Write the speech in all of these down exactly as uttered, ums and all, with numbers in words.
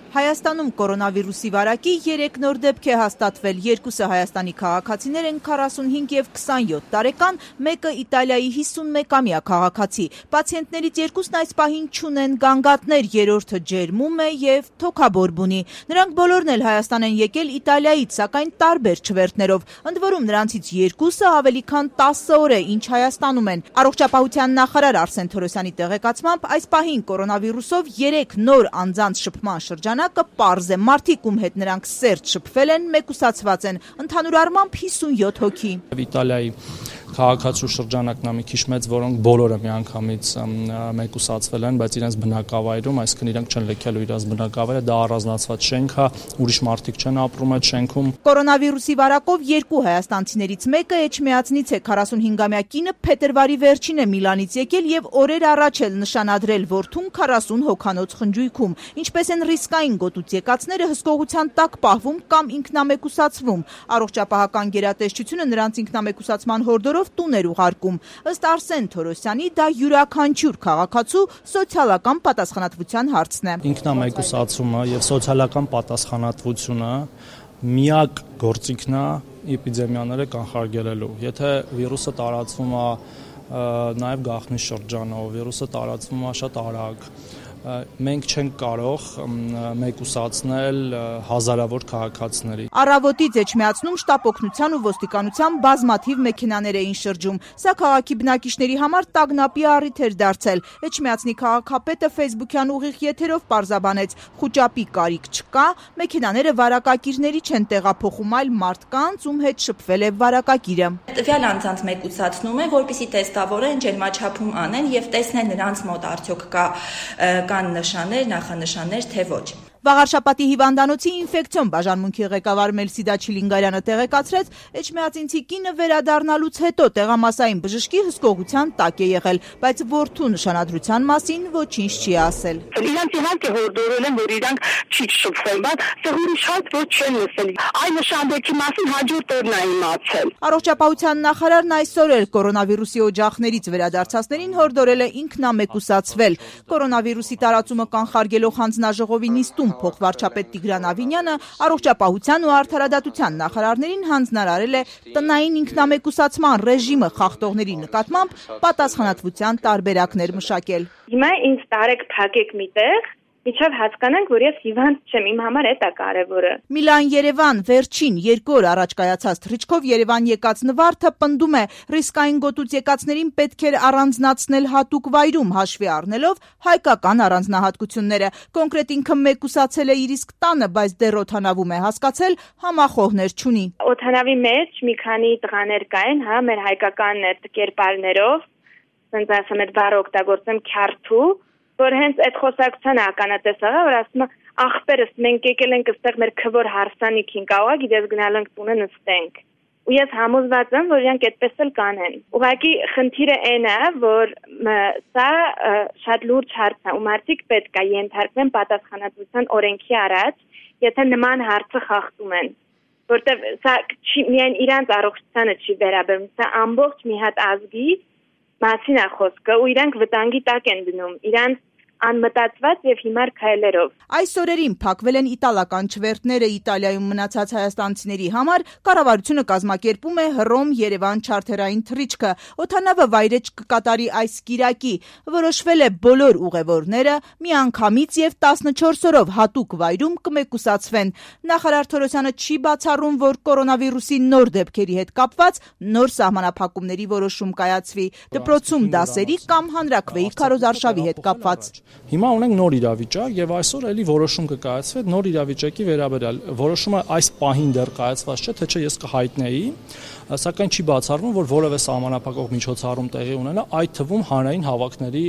Հայաստանում կորոնավիրուսի վարակի երեք նոր դեպք է հաստատվել, երկուսը Հայաստանի քաղաքացիներ են քառասունհինգ եւ քսանյոթ տարեկան, մեկը Իտալիայի հիսունմեկամյա քաղաքացի։ Պացիենտներից երկուսն այս պահին չունեն գանգատներ, երրորդը ջերմում է եւ թոքաբորբ ունի։ Նրանք բոլորն էլ Հայաստան են եկել Իտալիայից, սակայն տարբեր չվերթներով։ Ընդ որում նրանցից երկուսը ավելի քան տասը օր է, ինչ Հայաստանում են։ Առողջապահության նախարար Արսեն Թորոսյանի տեղեկացմամբ այս պահին կորոնավիրուսով երեք նոր անձանց շփման շրջանակը պարզ է, մարդիկ, ում հետ նրանք սերտ շփվել են, մեկուսացված են, ընդհանուր առմամբ հիսունյոթ հոգի։ Իտալիայի քաղաքացու շրջանակն է մի քիչ մեծ, որոնք բոլորը միանգամից մեկուսացվել են, բայց իրենց բնակավայրում, այսինքն իրենք չեն լքել իրենց բնակավայրը, դա առանձնացված շենք է, ուրիշ մարդիկ չեն ապրում այդ շենքում։ Կորոնավիրուսի վարակով երկու հայաստանցիներից մեկը Էջմիածնից է, քառասունհինգամյա կինը փետրվարի վերջին է Միլանից եկել եւ օրեր առաջ էլ նշանադրել որդուն քառասուն հոգանոց խնջույքում։ Ինչպես են ռիսկային գոտուց եկածները հսկողության տակ պահվում կամ ինքնամեկուսացվում։ Առողջապահական գերատեսչությունը նրանց ինքնամեկուսացման հորդորով տուն էր ուղարկում։ Ըստ Արսեն Թորոսյանի, դա յուրաքանչյուր քաղաքացու սոցիալական պատասխանատվության հարցն է։ Ինքնամեկուսացումը եւ սոցիալական պատասխանատվությունը միակ գործիքն է էպիդեմիաները կանխարգելելու։ Եթե վիրուսը տարածվում է նաեւ գաղտնի շրջանով, վիրուսը տարածվում է շատ արագ, մենք չենք կարող մեկուսացնել հազարավոր քաղաքացիների։ Առավոտից Էջմիածնում շտապ օգնության ու ոստիկանության բազմաթիվ մեքենաներ էին շրջում։ Սա քաղաքի բնակիչների համար տագնապի առիթ էր դարձել։ Էջմիածնի քաղաքապետը Facebook-յան ուղիղ եթերով պարզաբանեց՝ խուճապի կարիք չկա, մեքենաները վարակակիրների չեն տեղափոխում, այլ մարդկանց, ում հետ շփվել է վարակակիրը։ Տվյալ անձանց մեկուսացնում է, որպեսզի տեստավորեն, ջերմաչափում անեն եւ տեսնեն նրանց մոտ արդյոք կա կան նշաններ, նախանշաններ, թե ոչ։ Վաղարշապատի հիվանդանոցի ինֆեկցիոն բաժանմունքի ղեկավար Մելսիդա Չիլինգարյանը տեղեկացրեց, Էջմիածինցի կինը վերադառնալուց հետո տեղամասային բժշկի հսկողության տակ է եղել, բայց որդու նշանադրության մասին ոչինչ չի ասել։ Իրանք իհարկե հորդորել են, որ իրանք չի շփվել, բայց սա ուրիշ հարց ոչ չեն լսել։ Այն նշանբերքի մասին հաջորդ օրն է իմացել։ Առողջապահության նախարարն այսօր էլ կորոնավիրուսի օջախներից վերադարձածներին հորդորել է ինքնամեկուսացվել։ Կորոնավիրուսի տարածումը կանխարգելող հանձնաժողովի նիստում փոխվարչապետ Տիգրան Ավինյանը առողջապահության ու արդարադատության նախարարներին հանձնարարել է տնային ինքնամեկուսացման ռեժիմը խախտողների նկատմամբ պատասխանատվության տարբերակներ մշակել։ Հիմա ինձ տարեք փակեք միտեղ, միջև հասկանանք, որ ես հիվանդ չեմ, իմ համար է դա կարևորը։ Միլան-Երևան վերջին երկու օր առաջ կայացած թռիչքով Երևան եկած Նվարդը պնդում է, ռիսկային գոտուց եկածներին պետք էր առանձնացնել հատուկ վայրում, հաշվի առնելով հայկական առանձնահատկությունները։ Կոնկրետ ինքը մեկուսացել է իր իսկ տանը, բայց դեռ օդանավում է հասկացել, համախոհներ չունի։ Օդանավի մեջ մի քանի տղաներ կային, հա, մեր հայկական կերպարներով, ասենց ասեմ, այդ բառը օգտագործեմ քյարթու, որ հենց այդ խոսակցությանը ականատես աղա, որ ասում է ախպերս մենք եկել ենք այստեղ մեր քվոր հարսանիքին կաղա, գիտես գնալ ենք տունը նստենք։ Ու ես համոզված եմ, որ իրանք այդպես էլ կանեն։ Ուղղակի խնդիրը այն է, որ սա շատ լուրջ հարց է, ու մարդիկ պետք է ենթարկվեն պատասխանատվության օրենքի առաջ, եթե նման հարցը խախտում են։ Որտեվ սա չի միայն իրանց առողջությանը չի վերաբերում, սա ամբողջ մի հատ ազգի մասին է խոսքը, ու իրանք վտանգի տակ են դնում, իրանք անմտածված եւ հիմար քայլերով։ Այս օրերին փակվել են իտալական չվերթները Իտալիայում մնացած հայաստանցիների համար, կառավարությունը կազմակերպում է Հռոմ-Երևան չարթերային թռիչքը։ Օդանավը վայրեջք կկատարի այս կիրակի, որոշվել է բոլոր ուղևորները միանգամից եւ տասնչորս օրով հատուկ վայրում կմեկուսացվեն։ Նախարար Թորոսյանը չի բացառում, որ կորոնավիրուսի նոր դեպքերի հետ կապված նոր սահմանափակումների որոշում կայացվի, դպրոցում դասերի կամ հանրաքվեի քարոզարշավի հետ կապված։ Հիմա ունենք նոր իրավիճակ եւ այսօր էլի որոշում կկայացվի նոր իրավիճակի վերաբերյալ։ Որոշումը այս պահին դեռ կայացված չէ, թե չէ ես կհայտնեի, սակայն չի բացառվում, որ որևէ սահմանափակող միջոցառում տեղի ունենա, այդ թվում հանրային հավաքների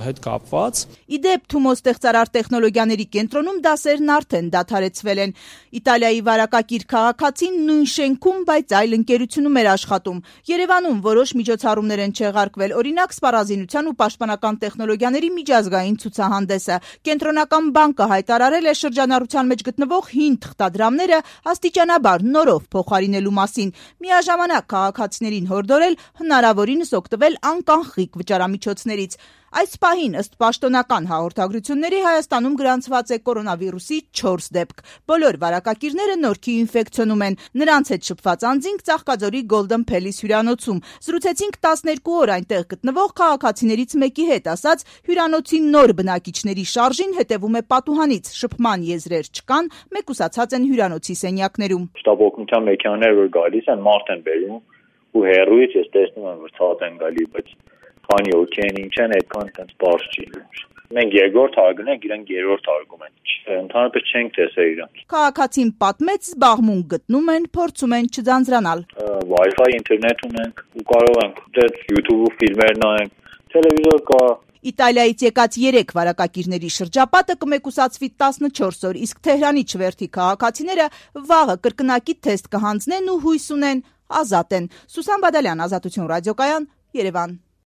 հետ կապված։ Իդեպ Թումո ստեղծարար տեխնոլոգիաների կենտրոնում դասերն արդեն դադարեցվել են։ Իտալիայի վարակակիր քաղաքացին նույն շենքում, բայց այլ ընկերությունում էր աշխատում։ Երևանում որոշ միջոցառումներ են չեղարկվել, օրինակ սպառազինության ու պաշտպանական տեխնոլոգիաների միջազգային ցուցահանդեսը։ Կենտրոնական բանկը հայտարարել է շրջանառության մեջ գտնվող հին թղթադրամները աստիճանաբար նորով փոխարինելու մասին։ Միաժամանակ քաղաքացիներին հորդորել հնարավորինս օգտվել անկանխիկ վճարամիջոցներից։ Այս պահին ըստ պաշտոնական հաղորդագրությունների Հայաստանում գրանցված է կորոնավիրուսի չորս դեպք։ Բոլոր վարակակիրները Նորքի ինֆեկցիոնում են։ Նրանց հետ շփված անձինք Ծաղկաձորի Golden Palace հյուրանոցում։ Զրուցեցինք տասներկու օր այնտեղ գտնվող քաղաքացիներից մեկի հետ, ասաց հյուրանոցի նոր բնակիչների շարժին հետևում է պատուհանից, շփման եզրեր չկան, մեկուսացած են հյուրանոցի սենյակներում։ Շտաբօգնության մեքենաներ որ գալիս են, մարդ են բերում ու հեռուից ես տեսնում եմ որ ցած են գալի, բայց քանի օքեյ ինչ են այդքան այդպես բարձ չի։ Մենք երկրորդ հարգում ենք, իրենք երրորդ հարգում են։ Ընդհանրապես չենք տեսել իրանք։ Քաղաքացին պատմեց, զբաղմունք գտնում են, փորձում են չձանձրանալ։ Wi-Fi ինտերնետ ունենք ու կարող ենք դեռ YouTube-ով ֆիլմեր նայենք, տելևիզոր կա։ Իտալիայից եկած երեք վարակակիրների շրջապատը կմեկուսացվի տասնչորս օր, իսկ Թեհրանի չվերթի քաղաքացիները վաղը կրկնակի թեստ կհանձնեն ու հույս ունեն ազատ են։ Սուսան Բադալյան, Ազատություն ռադիոկայան, Երևան։